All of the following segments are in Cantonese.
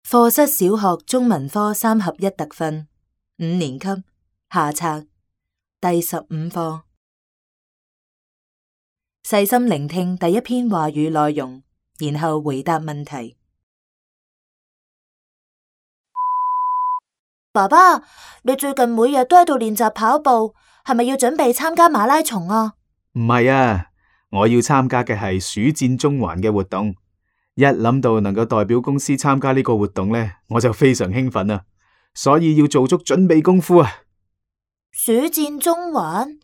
課室小學中文科3合1特訓5年級下冊第15課。細心聆聽第一篇話語內容，然後回答問題。爸爸，你最近每日都喺度練習跑步，係咪要準備參加馬拉松啊？唔係啊，我要參加嘅係暑戰中環嘅活動。一諗到能夠代表公司參加呢個活動呢，我就非常興奮啊！所以要做足準備功夫啊！暑戰中環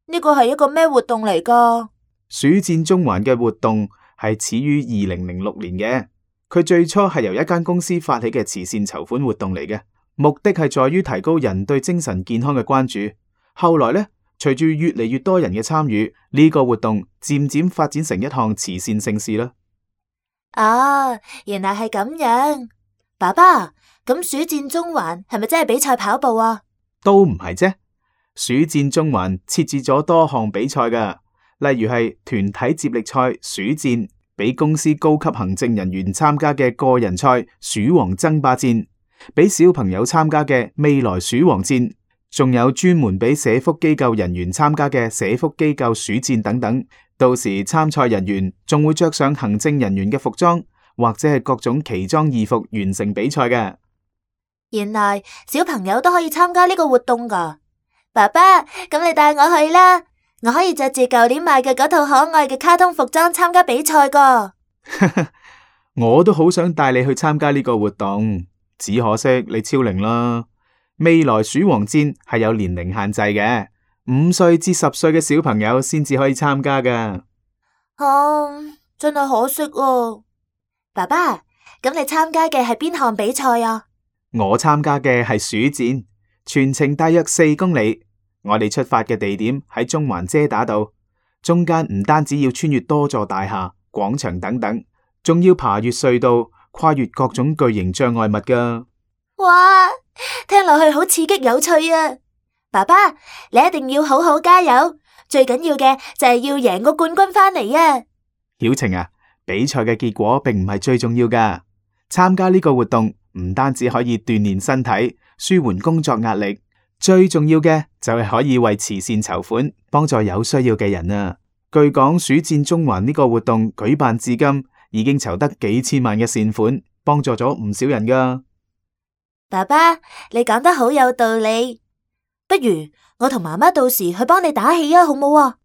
呢個係一個咩活動嚟㗎？暑戰中環嘅活動係始於2006年嘅，佢最初係由一間公司發起嘅慈善籌款活動嚟嘅，目的係在於提高人對精神健康嘅關注。後來呢，隨住越嚟越多人嘅參與，呢個活動漸漸發展成一項慈善盛事啦。啊，原來係咁樣。爸爸，咁暑戰中環係咪真係比賽跑步啊？都唔係啫，暑戰中環設置咗多項比賽噶，例如係團體接力賽暑戰，俾公司高級行政人員參加嘅個人賽鼠王爭霸戰，俾小朋友參加嘅未來鼠王戰，仲有專門俾社福機構人員參加嘅社福機構暑戰等等。到時參賽人員仲會着上行政人員嘅服裝，或者係各種奇裝異服完成比賽嘅。原來小朋友都可以參加呢個活動噶。爸爸，咁你帶我去啦，我可以着住舊年買嘅嗰套可愛嘅卡通服裝參加比賽噶。我都好想帶你去參加呢個活動，只可惜你超齡啦。未來鼠王戰係有年齡限制嘅，5歲至10歲嘅小朋友先至可以參加噶。真係可惜啊。爸爸，咁你參加嘅係邊項比賽啊？我參加嘅係暑戰，全程大約4公里。我哋出發嘅地點喺中環遮打道，中間唔單止要穿越多座大廈、廣場等等，仲要爬越隧道，跨越各種巨型障礙物噶。哇，聽落去好刺激有趣啊！爸爸，你一定要好好加油，最緊要嘅就係要贏個冠軍返嚟啊！曉晴啊，比賽嘅結果並唔係最重要噶，參加呢個活動唔單止可以鍛煉身體、舒緩工作壓力，最重要嘅就係可以為慈善籌款，幫助有需要嘅人啊！據講，暑戰中環呢個活動舉辦至今，已經籌得幾千萬嘅善款，幫助咗唔少人噶。爸爸，你講得好有道理，不如我同媽媽到時去幫你打氣啊，好冇啊？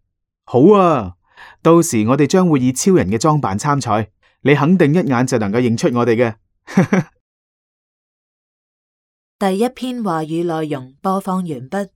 好啊，到時我哋將會以超人嘅裝扮參賽，你肯定一眼就能夠認出我哋嘅。第一篇話語內容播放完畢。